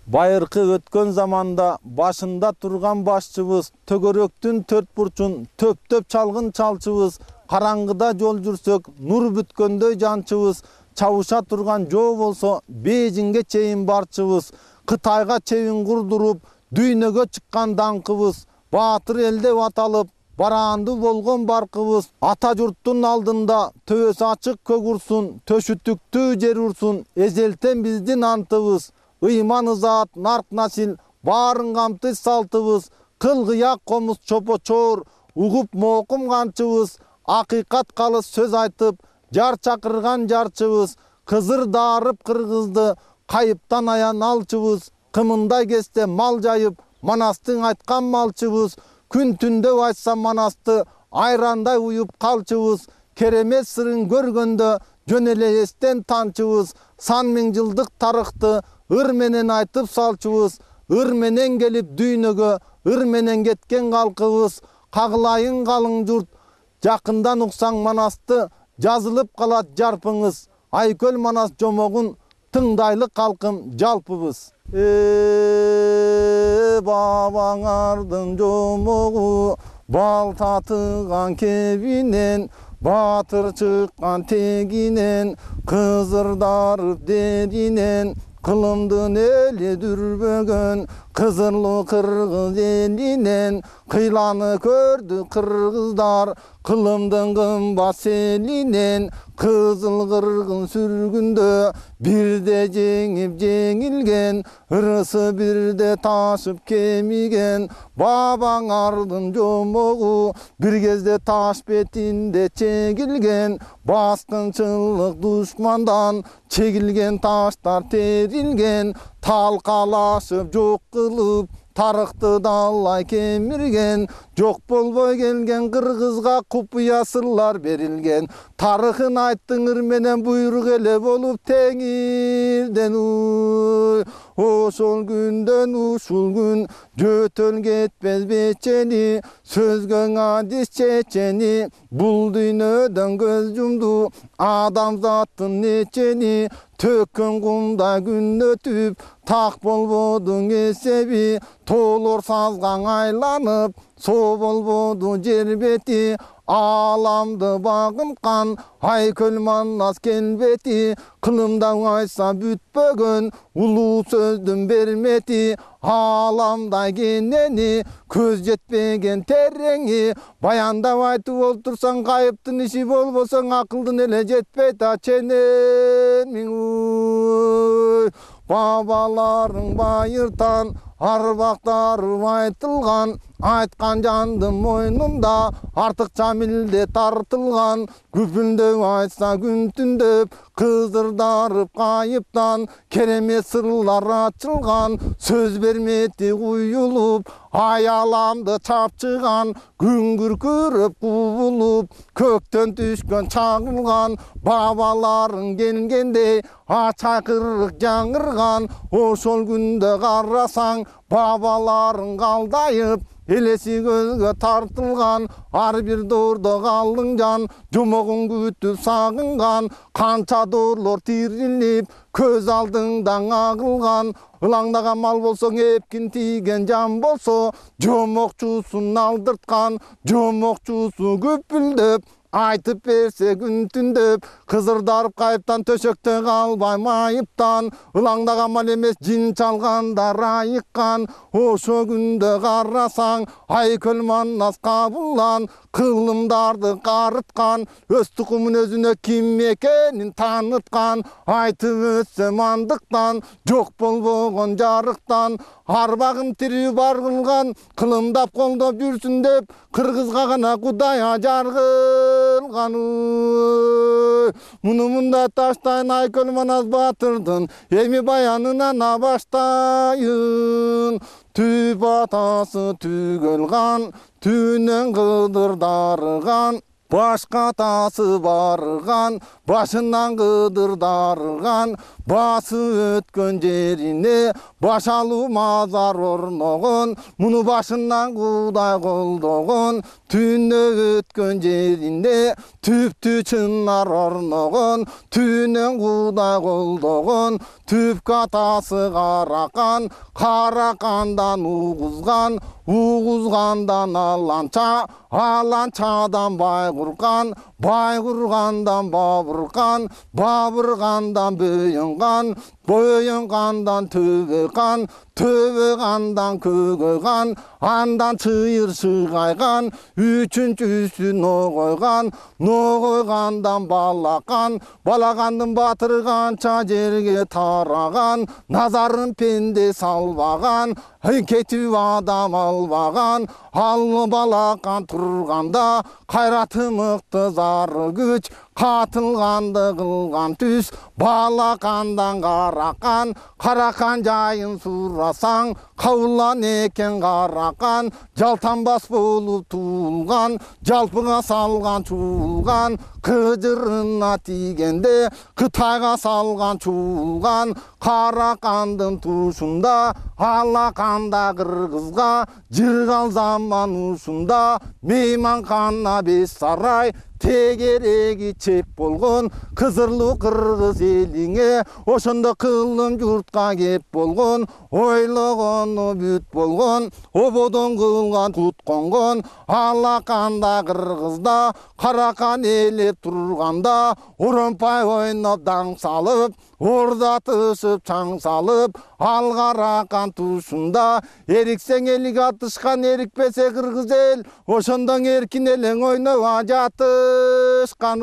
Байыркы өткөн заманда башында турган башчыбыз, төгөрөктүн төрт бурчун төптөп чалгын чалчыбыз, караңгыда жол жүрсөк нур бүткөндөй жанчыбыз, чабыша турган жоо болсо Бейжиңге чейин барчыбыз, Кытайга чейин курдуруп дүйнөгө чыккан даңкыбыз, баатыр эл деп аталып бараанды болгон баркыбыз, ата журттун алдында төбөсү ачык көк урсун, төшү түктүү жер урсун, эзелтен биздин антыбыз, ыйман ызаат нарк насил баарын камтыш салтыбыз, кыл-кыяк комуз чопочоор угуп моокум канчыбыз, акыйкат калыс сөз айтып жар чакырган жарчыбыз, кызыр даарып кыргызды кайыптан аян алчыбыз, кымындай кезде мал жайып Манастың айткан малчыбыз, күн түндө айтса Манасты айрандай уюп калчыбыз, керемет сырын көргөндө жөн эле эстен танчыбыз, сан миң жылдык тарыхты ыр менен айтып салчубуз, ыр менен келип дүйнөгө ыр менен кеткен калкыбыз, кагылайын калың журт жакындан уксаң Манасты, жазылып калат жарпыңыз, Айкөл Манас жомогун тыңдайлы калкым жалпыбыз. Бабаңардын жомогу бал татыган кебинен, баатыр чыккан тегинен, кызырдарып дединен, кылымдын эли дүрбөгөн кызырлуу кыргыз элинен, кыйланы көрдү кыргыздар кылымдын кымбат селинен, кызыл кыргыз сүргүндө бирде жеңип жеңилген, ырысы бирде ташып кемиген, бабаңардын жомогу бир кезде таш бетинде чегилген, баскынчылык душмандан чегилген таштар терилген, талкалашып жок кылып тарыхты далай кемирген, жок болбой келген кыргызга купуя сырлар берилген, тарыхын айттың ыр менен буйрук эле болуп теңирден. Ошол күндөн ушул күн жөтөл кетпес бечени, сөзгө адис чечени, бул дүйнөдөн көз жумду адамзаттын нечени, төккөн кумда күн өтүп так болбодуң эсеби, тоолор сазгаң айланып соо болбоду жер бети, ааламды багынткан Айкөл Манас келбети, кылымда айса бүтпөгөн улуу сөздүн бермети, ааламда кенени көз жетпеген тереңи, баяндап айтып олтурсаң кайыптын иши болбосоң акылдын эле жетпейт ченемиң. Бабаларың байыртан арбактары айтылган, айткан жандын мойнунда артыкча милдет тартылган, күпүлдөп айтса күн түндөп кызырдарып кайыптан, керемет сырлар ачылган, сөз бермети куюлуп, аяламды чапчыган, күн күркүрөп кубулуп, көктөн түшкөн чагылган, бабаларың келгендей ачакырык жаңырган, ошол күндө карасаң бабаларың калдайып, элеси көзгө тартылган, ар бир доордо калдың жан, жомогун күтүп сагынган, канча доорлор тирилип көз алдыңдан агылган, ылаңдаган мал болсоң эпкин тийген жан болсо, жомокчусун алдырткан, жомокчусу күпүлдөп айтып берсе күн түндөп, кызырдарып кайыптан төшөктө калбай майыптан, ылаңдаган мал эмес жин чалгандар айыккан, ошо күндө карасаң Айкөл Манас кабылган, кылымдарды карыткан, өз тукумун өзүнө ким экенин тааныткан, айтып өтсөм андыктан, жок болбогон жарыктан, арбагым тирүү бар кылган, кылымдап колдоп жүрсүн деп кыргызга гана Кудай жаргылган. Муну мында таштайын Айкөл Манас баатырдын эми баянынан баштайын. Түп атасы түгөл кан, түнөн кыдыр дарыган, башка атасы барган, башынан кыдыр дарыган, басып өткөн жерине башалуу мазар орногон, муну башынан Кудай колдогон. Түнө өткөн жерине түптү чынар орногон, түнөн Кудай колдогон. Түпкө атасы каракан, каракандан угузган, угузгандан аланча, аланчадан байгурган, байгургандан бабырган, бабыргандан бөйөнган, бөйөнгандан төбөкан, төбөкандан көгөкан, андан чыйыр чыгайган, үчүнчүсү ногойган, ногойгандан балакан, балакандын батырганча жерге тараган, назарын пенде салбаган, кетип адам албаган, ал балакан турганда кайраты мыкты зары күч, катылганды кылган түз, балакандан каракан, каракан жайын сурасаң, кабылан экен каракан, жалтанбас болуп туулган, жалпыга салган чуулган, кыжырына тийгенде Кытайга салган чуулган, каракандын тушунда, алаканда кыргызга жыргал заман ушунда, мейманкана беш сарай, тегереги чеп болгон, кызырлуу кыргыз элиңе ошондо кылым журтка кеп болгон, ойлогону бүт болгон, ободон кылган кут конгон, алаканда кыргызда каракан элеп турганда, оромпай ойноп даң салып, ордатышып чаң салып, ал каракан тушунда эриксең элик атышкан, эрикпесе кыргыз эл ошондо эркин элең ойноп жатышкан.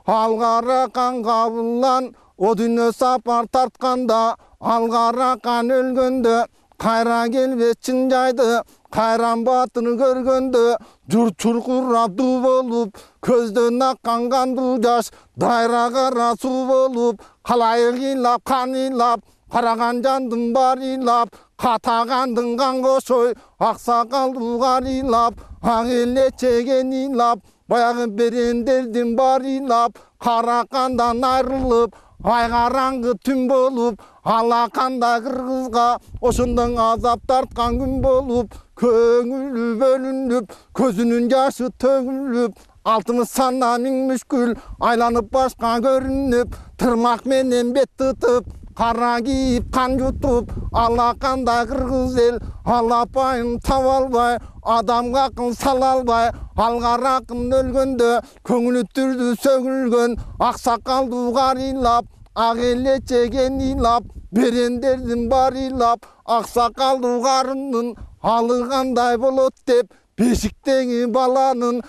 Ал каракан кабылан о дүйнө сапар тартканда, ал каракан өлгөндө кайра келбес чын жайды, кайран батыр көргөндө журт чуркурап дуу болуп, көздөн аккан кандуу жаш дайра кара суу болуп, калайык ыйлап кан ыйлап, караган жандын баары ыйлап, катагандын кан кошой аксакалдуу карыйлап, ак эле чеген ыйлап, баягы берендердин баары ыйлап, каракандан айрылып ай караңгы түн болуп, алаканда кыргызга ошондон азап тарткан күн болуп, көңүлү бөлүнүп, көзүнүн жашы төгүлүп, алтымыш сана миң мүшкүл айланып башка көрүнүп, тырмак менен бет тытып, кара кийип кан жутуп, алаканда кыргыз эл алапайын таба албай, адамга акыл сала албай, ал каракын өлгөндө көңүлү түрдү сөгүлгөн, аксакалдуу карыйлап, ак эле чеген ыйлап, берендердин баары ыйлап, аксакалдуу карынын алы кандай болот деп, бешиктеги баланын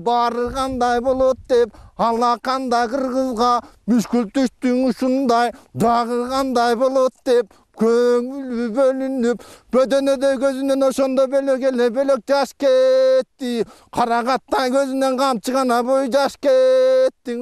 баары кандай болот деп, алаканда кыргызга мүшкүл түштүң ушундай дагы кандай болот деп, көңүлү бөлүнүп, бөдөнөдө көзүнөн ошондо бөлөк эле бөлөк жаш кетти, карагаттай көзүнөн камчы гана бой жаш кетти.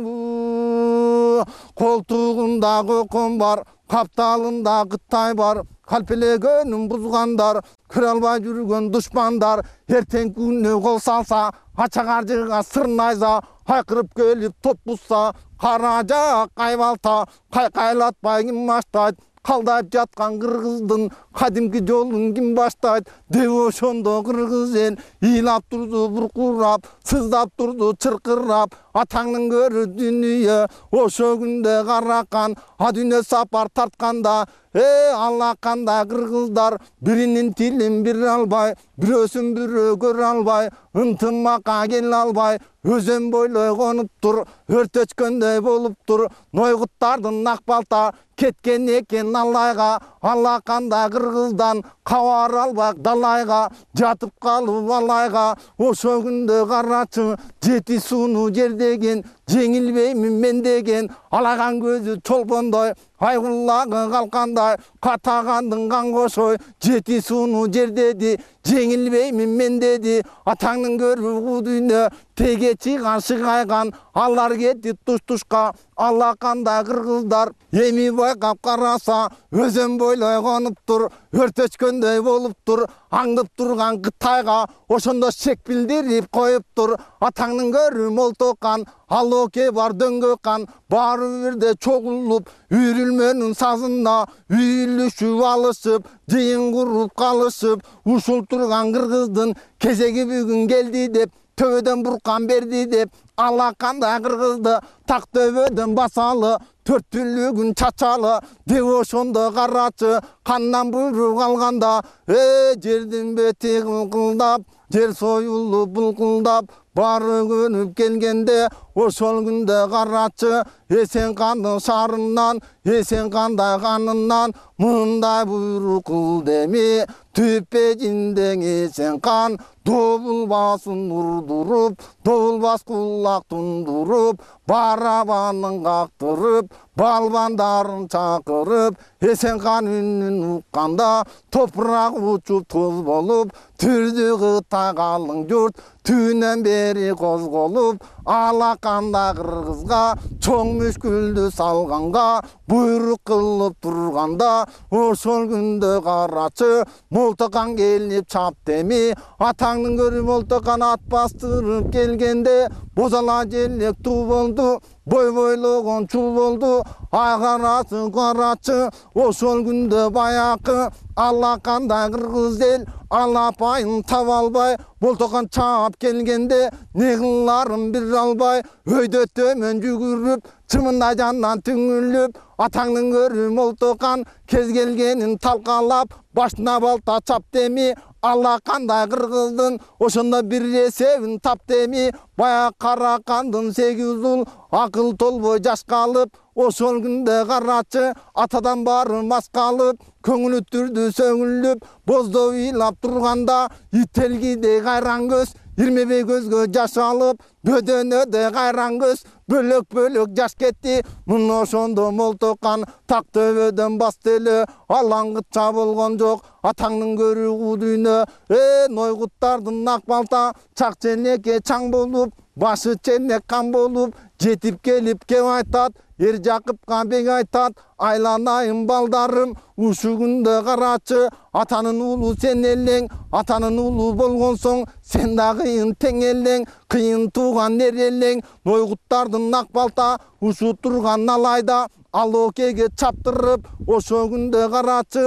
Колтугунда кокон бар, капталында Кытай бар, калпелегөнүн бузгандар, көрө албай жүргөн душмандар, эртең күнү кол салса, ача каржыга сырнайса, кайкырып келип топ бузса, кара жак кайбалта, кайкайлатпай ким баштайт, калдайып жаткан кыргыздын кадимки жолун ким баштайт деп, ошондо кыргыз эл ыйлап турду буркурап, сыздап турду чыркырап, атаңдын көрү дүнүйө ошо күндө каракан а дүйнө сапар тартканда, алаканда кыргыздар биринин тилин бире албай, бирөөсүн бирөө көрө албай, ынтымакка келе албай, өзөн бойлой конуптур, өртөчкөндөй болуптур, нойгуттардын ак балта кеткен экен алайга, алаканда кыргыздан кабар албай далайга, жатып калып алайга, ошо күндө карачы жети сууну жердеген, жеңилбеймин мен деген, алаган көзү чолпондой, айгуллагы калкандай, катагандын кан кошой, жети сууну жердеди, жеңилбеймин мен деди, атаңдын көрү дүйнө теге чыган шыгайган, алар кетти туш-тушка, алаканда кыргыздар эми байкап караса, өзөн бойлой конуптур, өртөчкөндөй болуптур, аңдып турган Кытайга ошондо шек билдирип коюптур, атаңдын көрү молтокан, ал алоке бар дөңгө кан баары бирде чогулуп үйрүлмөнүн сазына үйлүшүп алышып жыйын куруп калышып ушул турган кыргыздын кезеги бүгүн келди деп төбөдөн буркан берди деп алакандай кыргызды так төбөдөн басалы төрт түлүгүн чачалы деп ошондо карачы кандан буйрук алганда жердин бети кылкылдап жер союлуп булкулдап баары көнүп келгенде ошол күндө карачы эсен кандын шаарынан эсен кандай канынан мындай буйрук кыл деми түппе жиндең эсен кан добулбасын урдуруп добулбас кулак тундуруп барабанын кактырып балбандарын чакырып эсен кан үнүн укканда топурак учуп тоз болуп түрдү Кытай калың журт түнөн бери козголуп алакандай кыргызга чоң мүшкүлдү салганга буйрук кылып турганда ошол күндө карачы молтокан келип чап деми атаңдын көрүп молтокан ат бастырып келгенде бозала желек туу болду бой бойлогон чуу болду агарасы карачы ошол күндө баякы алакандай кыргыз эл алапайын таба албай молтокан чаап келгенде не кыларын биле албай өйдө төмөн жүгүрүп чымында жандан түңүлүп атаңдын көрү молтокан кез келгенин талкалап башына балта чап деми алакандай кыргыздын ошондо бир эсебин тап деми баяк каракандын 8 ул акыл толбой жаш калып ошол күндө карачы атадан баары маскалып көңүлү түрдү сөгүлүп боздо ыйлап турганда ителгидей кайран көз ирмебей көзгө жаш алып бөдөнөдө кайран көз бөлөк бөлөк жаш кетти мына ошондо молтокан так төбөдөн басты эле алаңгытча болгон жок атаңдын көрү куу дүйнө нойгуттардын ак балта чак ченекке чаң болуп башы ченек кан болуп жетип келип кеп айтат эр Жакыпка бек айтат айланайын балдарым ушу күндө карачы атанын уулу сен элең атанын уулу болгон соң сен да кыйын тең элең кыйын тууган эр элең нойгуттардын ак балта ушу турган алайда алоокеге чаптырып ошол күндө карачы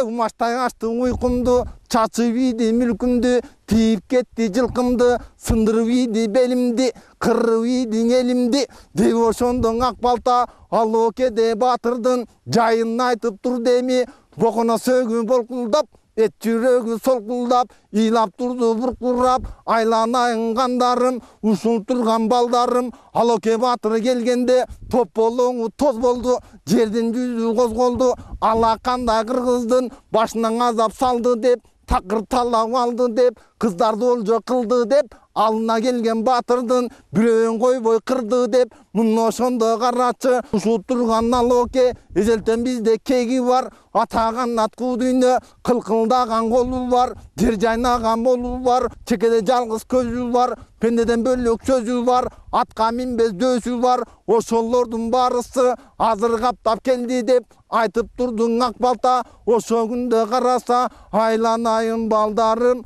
умаштай ачты уйкумду чачып ийди мүлкүмдү тийип кетти жылкымды сындырып ийди белимди кырып ийди элимди деп ошондо ак балта алоокеде батырдын жайын айтып тур деми боконо сөөгү болкулдап эт жүрөгү солкулдап ыйлап турду буркурап айланайын кандарым ушул турган балдарым алооке батыр келгенде топ болоңу тоз болду жердин жүзү козголду алакандай кыргыздын башынан азап салды деп такыр талап алды деп кыздарды олжо кылды деп алына келген батырдын бирөөн койбой кырды деп мына ошондо карачы ушул турган алооке эзелтен бизде кеги бар атаган аткуу дүйнө кылкылдаган колу бар жер жайнаган болу бар чекеде жалгыз көзү бар пендеден бөлөк сөзү бар атка минбес дөсү бар ошолордун баарысы азыр каптап келди деп айтып турдуң ак балта ошол күндө караса айланайын балдарым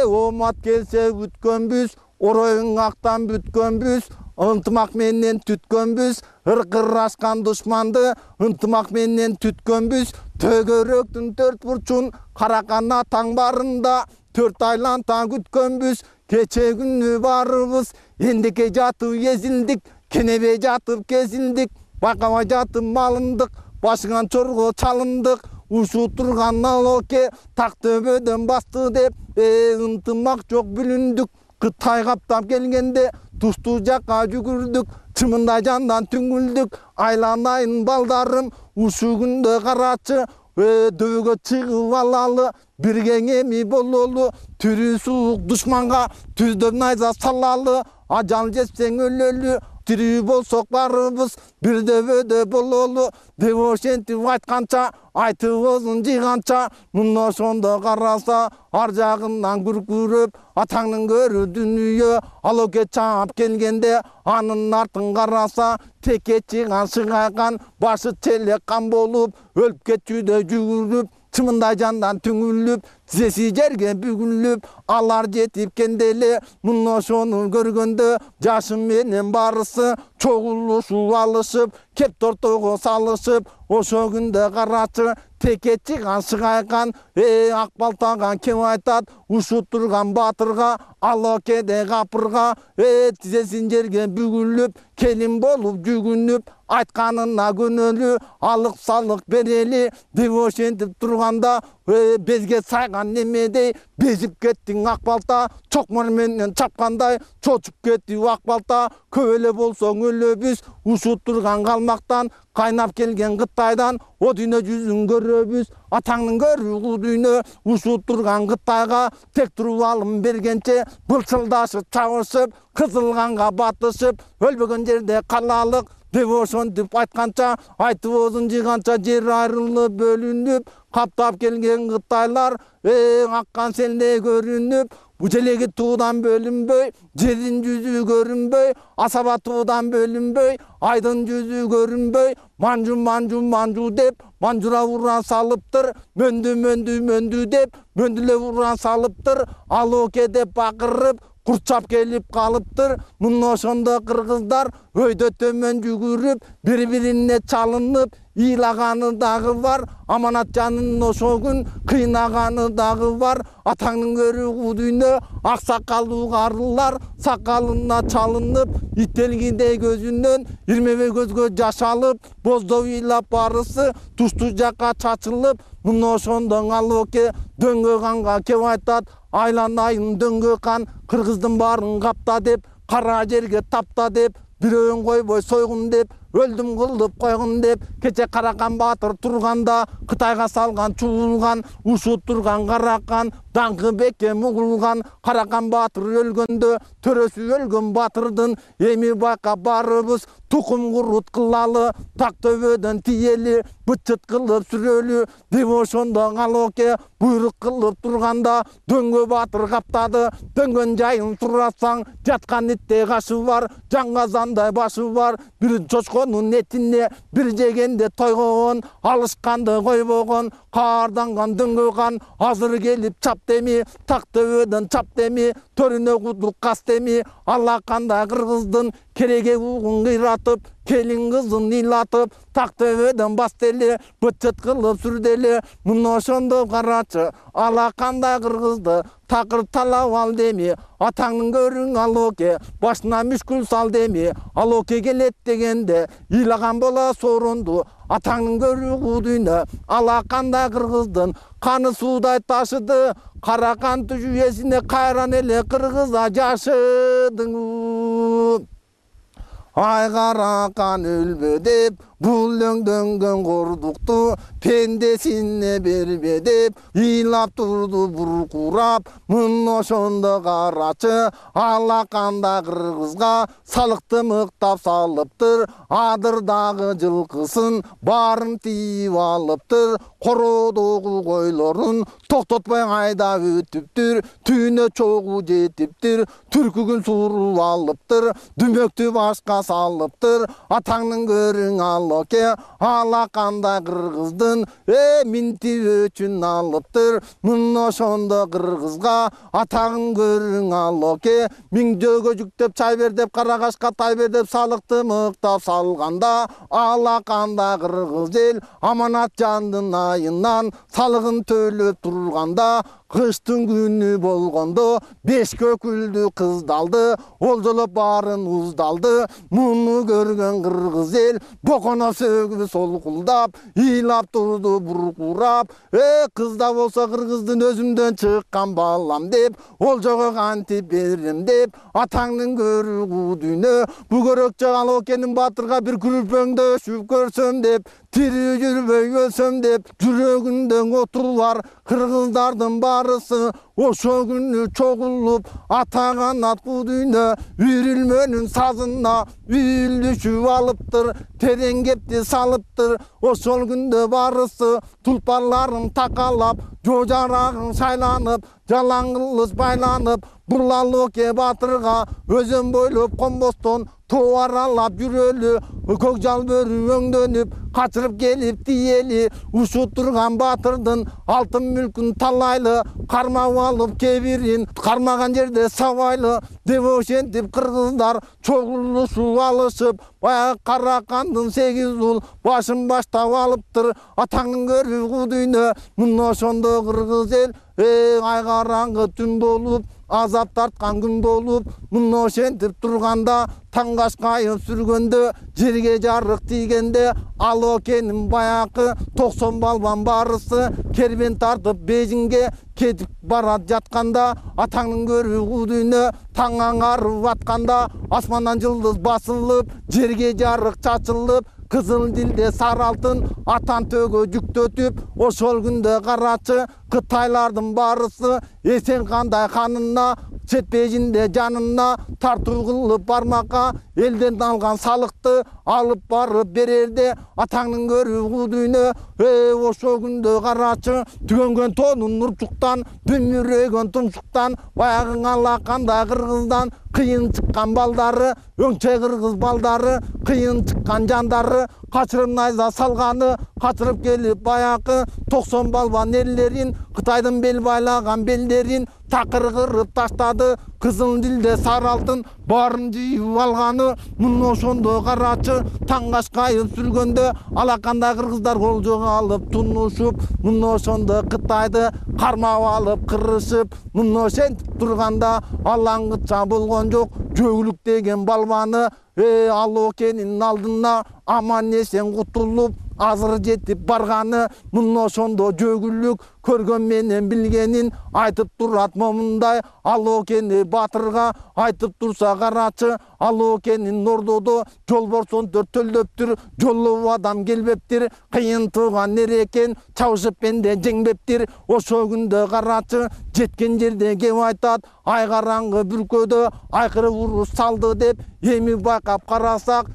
омат келсе бүткөнбүз ороюң актан бүткөнбүз ынтымак менен түткөнбүз ыркыр ашкан душманды ынтымак менен түткөнбүз төгөрөктүн төрт бурчун каракан атаң барында 4 айланта күткөнбүз кече күнү баарыбыз эндике жатып эзилдик кенебей жатып кезилдик байкабай жатып малындык башыңан чорго чалындык ушу турган алооке так төбөдөн басты деп ынтымак жок бүлүндүк Кытай каптап келгенде тустуу жакка жүгүрдүк чымында жандан түңүлдүк айланайын балдарым ушу күндө карачы дөбөгө чыгып алалы бирге эми бололу түрү суук душманга түздөн найза салалы ажал жетсең өлөлү тирүү болсок баарыбыз бир дөбөдө бололу деп ошентип айтканча айтыбызын жыйганча мына ошондо караса ар жагынан күркүрөп атаңдын көрү дүнүйө алооке чаап келгенде анын артын караса теке чыган шыгайган башы челек кан болуп өлүп кетчүдө жүгүрүп чымындай жандан түңүлүп, тизеси жерге бүгүлүп, алар жетип кенделе, муну ошону көргөндө жашым менен барысы чогулушуп алышып, кеп тортого салышып, ошо күндө карачы текечи шыгайкан, ак балтага кеп айтат, ушут турган батырга, алокеде капырга, тизесин жерге бүгүлүп, келин болуп жүгүнүп, айтканына көнөлү, алык салык берели деп ошентип турганда, безге сайган немедей безип кеттиң ак балта, чокмор менен чапкандай чочуп кетти ак балта, көп эле болсоң өлөбүз, ушут турган калмактан, кайнап келген Кытайдан, о дүйнө жүзүн көрөбүз, атаңдын көрүү дүйнө, ушут турган Кытайга тек туруп алым бергенче, былчылдашып чабышып, кызылганга батышып, өлбөгөн жерде калалык деп ошентип айтканча, айтып оозун жыйганча жер айрылып бөлүнүп, каптап келген Кытайлар аккан селдей көрүнүп, желеги туудан бөлүнбөй, жердин жүзү көрүнбөй, асаба туудан бөлүнбөй, айдын жүзү көрүнбөй, манжу деп манжура ура салыптыр, мөндү деп мөндүлө ура салыптыр, алоке деп бакырып курчап келип калыптыр. Муну ошондо кыргыздар өйдө төмөн жүгүрүп, бири-бирине чалынып, ийлаганы дагы бар, аманат жанын ошо күн кыйнаганы дагы бар. Атаңдын көрүү дүйнө, ак сакалдуу карылар сакалына чалынып, иттелгидей көзүнөн ирмебей көзгө жаш алып, боздоп ыйлап барысы тушту жакка чачылып, муну ошондо алоке дөңгө канга кеп айтат, айланайын дөңгө кан, кыргыздын баарын капта деп, кара жерге тапта деп, бирөөүн койбой сойгун деп, өлдүм кылып койгун деп, кече Каракан баатыр турганда, Кытайга салган чуулган, ушут турган Каракан, даңкы бекке мугулган, Каракан баатыр өлгөндө, төрөсү өлгөн батырдын, эми байкап барыбыз, тукум курут кылалы, так төбөдөн тиели, бычыт кылып сүрөлү, деп ошондо алоке буйрук кылып турганда, дөңгө баатыр каптады, дөңгөн жайын сурасаң, жаткан иттей кашы бар, жаңгазандай башы бар, бир чочконун этине бир жегенде тойгогон, алышканды койбогон, каарданган дөңгө кан, азыр келип чап деми, так төбөдөн чап деми, төрүнө кудук кас деми, алла кандай кыргыздын кереге угун кыйратып, келин кызын ыйлатып, так төбөдөн бас деле, бычыт кылып сүрделе, муну ошондо карачы, ала кандай кыргызды такыр талап ал деми, атаңдын көрүң алоке, башына мүшкүл сал деми, алоке келет дегенде, ыйлаган бола соронду, атаңдын көрүү дүйнө, ала кандай кыргыздын каны суудай ташыды, Каракан жүйесине кайран эле кыргыза жашыдың. Ай Каракан өлбө деп, бул өңдөнгөн кордукту пендесине бербе деп, ыйлап турду буркурап, муну ошондо карачы, алаканда кыргызга салыкты мыктап салыптыр, адырдагы жылкысын баарын тийип алыптыр, короодогу койлорун токтотпой айдап өтүптүр, түйүнө чогуу жетиптир, түркүгүн сууруп алыптыр, дүмөктү башка салыптыр, атаңдын көрүң алоке, ала кандай кыргыздын минти өчүн алыптыр, муну ошондо кыргызга атагын көрүң алоке, миңдөөгө жүктөп чай бер деп, карагашка тай бер деп, салыкты мыктап салганда, ала кандай кыргыз эл аманат жандын айынан салыгын төлөп турганда, кыштын күнү болгондо беш көкүлдү кыздалды, олжолоп баарын уздалды, муну көргөн кыргыз эл боконо сөгүп солкулдап, ыйлап турду буркурап, кызда болсо кыргыздын өзүмдөн чыккан балам деп, олжого кантип берем деп, атаңдын көрүү дүйнө, бу көрөкчө алокенин батырга бир күрпөңдөшүп көрсөм деп, тирүү жүрбөй өлсөм деп, жүрөгүндө оту бар кыргыздардын барысы, ошо күнү чогулуп, ата канат дүйнө, үйрүлмөнүн сазына үйлүшүп алыптыр, терең кепти салыптыр, ошол күндө барысы, тулпарларын такалап, жо жарагың шайланып, жалаң кылыч байланып, бул Алооке батырга өзөн бойлоп конбостон тоо аралап жүрөлү, көк жалбөрү өңдөнүп, качырып келип тиели, ушу турган батырдын алтын мүлкүн талайлы, кармап алып кебирин, кармаган жерде сабайлы, деп ошентип кыргыздар чогулушуп алышып, баягы Каракандын 8 ул башын баштап алыптыр. Атаңдын көрүү дүйнө, мына ошондо кыргыз эл ай караңгы түн болуп, азап тарткан күн болуп, мына ошентип турганда, таң кашкайып сүргөндө, жерге жарык тийгенде, Алоокенин баякы 90 балбан барысы кербен тартып Бейжиңге кетип барат жатканда, атаңдын көрүү дүйнө таң аңарып атканда, асмандан жылдыз басылып, жерге жарык чачылып, кызыл дилде сары алтын атан төөгө жүктөтүп, ошол күндө карачы Кытайлардын барысы эсен кандай ханына, жетпейжинде жанына тартуу кылып бармакка, элден алган салыкты алып барып берерде, атаңдын көрүү дүйнө ошол күндө карачы түгөнгөн тоонун нурчуктан, бүмүрөгөн тумшуктан, баягы алакандай кыргыздан кыйын чыккан балдары, өңчөй кыргыз балдары, кыйын чыккан жандары, качырып найза салганы, качырып келип баякы 90 балбан эрлерин, Кытайдын бел байлаган белдерин такыр кырып таштады. Кызыл дилде сары алтын баарын жыйып алганы, мына ошондо карачы таң кашкайып сүргөндө, алакандай кыргыздар олжого алып тунушуп, мына ошондо Кытайды кармап алып кырышып, мына ошентип турганда алаңгыча болгон жок жөгүлүк деген балбаны Алоокенин алдына аман эсен кутулуп азыр жетип барганы, мына ошондо жөгүлүк көргөн менен билгенин айтып турат момундай. Алоокени батырга айтып турса карачы, Алоокенин ордодо жолборсон төртөлдөптүр, жоллоп адам келбептир, кыйын тууган эрекен, чабышып бенде жеңбептир. Ошол күндө карачы жеткен жерде кеп айтат, ай караңгы бүркөдө айкырып уруш салды деп, эми байкап карасак,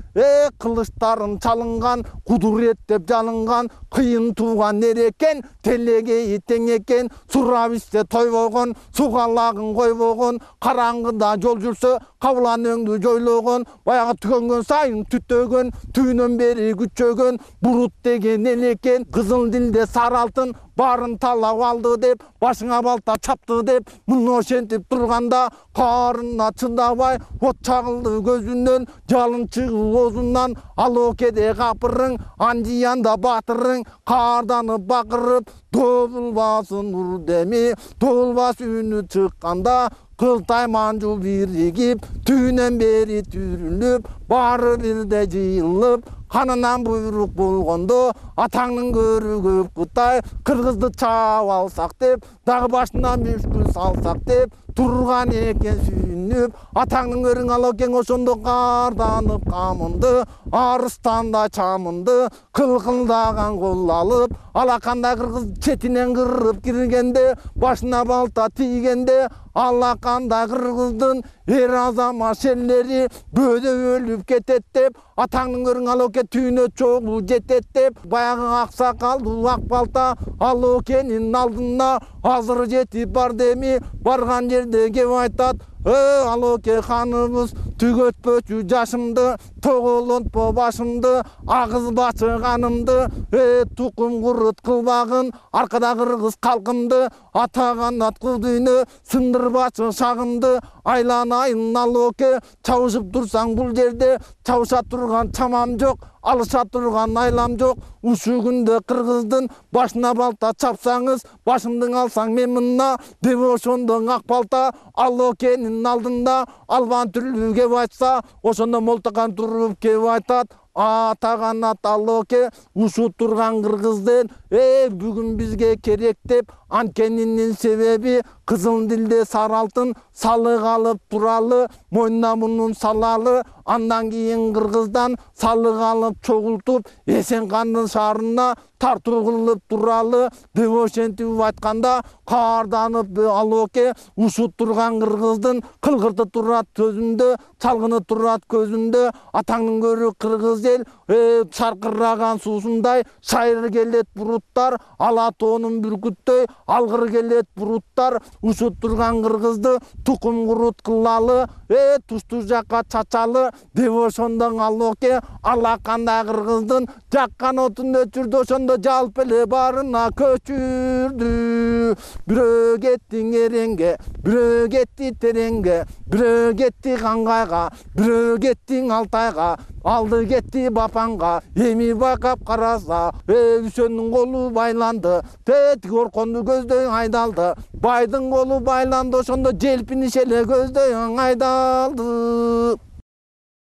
кылычтарын чалынган, кудуреттеп жалынган, кыйын тууган эрекен, телегейи тең экен, сурап ичсе тойбогон, сугалагын койбогон, караңгыда жол жүрсө кабылан өңдү жойлогон, баягы түгөнгөн сайын түтөгөн, түбүнөн бери күчөгөн, бурут деген элекен, кызыл дилде сары алтын баарын талап алды деп, башыңа балта чапты деп, мына ошентип турганда каарына чыдабай от чагылды көзүнөн, жалын чыгып оозунан, Алоокеде капырың, анжыянда батырың, каарданып бакырып, добулбасын нур деми, добулбас үнү чыкканда, кылтай манжу биригип, түбүнөн бери түрүлүп, баары бирде жыйылып, канынан буйрук болгондо, атаңдын көрү көп Кытай, кыргызды чаап алсак деп, дагы башынан мүшкүл салсак деп турган экен сүйүнүп. Атаңдын көрүң Алоокен ошондо карданып камынды, арыстандай чамынды, кылкылдаган кол алып, алакандай кыргыз четинен кырып киргенде, башына балта тийгенде, алакандай кыргыздын эр азамат шерлери бөөдө өлүп кетет деп, атаңдын көрүң Алоокен түйүнө чогуу жетет деп, баягы ак сакалдуу ак балта Алоокенин алдына азыр жетип барды эми, барган жерде кеп айтат, Алооке ханыбыз түгөтпөчү жашымды, тоголонтпо башымды, агызбачы канымды, тукум курут кылбагын, аркада кыргыз калкымды, атаганат кыл дүйнө, сындырбачы шагымды, айланайын Алооке, чабышып турсаң бул жерде, чабыша турган чамам жок, алыша турган айлам жок. Ушу күндө кыргыздын башына балта чапсаңыз, башымдын алсаң мен мына, деп ошондо ак балта Алоокенин алдында албан түрлүү кеп айтса, ошондо Молтокан туруп кеп айтат, атаганат Алооке, ушу турган кыргызден бүгүн бизге керек деп, анткенинин себеби кызыл дилде сары алтын салык алып туралы, мойнуна мунун салалы, андан кийин кыргыздан салык алып чогултуп, Эсен кандын шаарына тартуу кылып туралы деп ошентип айтканда каарданып Алоке ушут турган кыргыздын кылгырты турат көзүндө, чалгыны турат көзүндө, атаңдын көрү кыргыз эл шаркыраган суусундай шайыр келет буруттар, ала тоонун бүркүттөй алгыр келет буруттар, ушут турган кыргызды тукум курут кылалы, тушту жакка чачалы деп ошондон Алоке алакандай кыргыздын жаккан отун өчүрдү, ошондо жалп эле баарына көчүрдү. Бирөө кетти эреңге, бирөө кетти тереңге, бирөө кетти Кангайга, бирөө кетти Алтайга, алды кетти Бапанга, эми байкап караса, Үсөндүн колу байланды, тетиги Орконду көздөй айдалды, байдын колу байланды, ошондо желпиниш эле көздөй айдалды.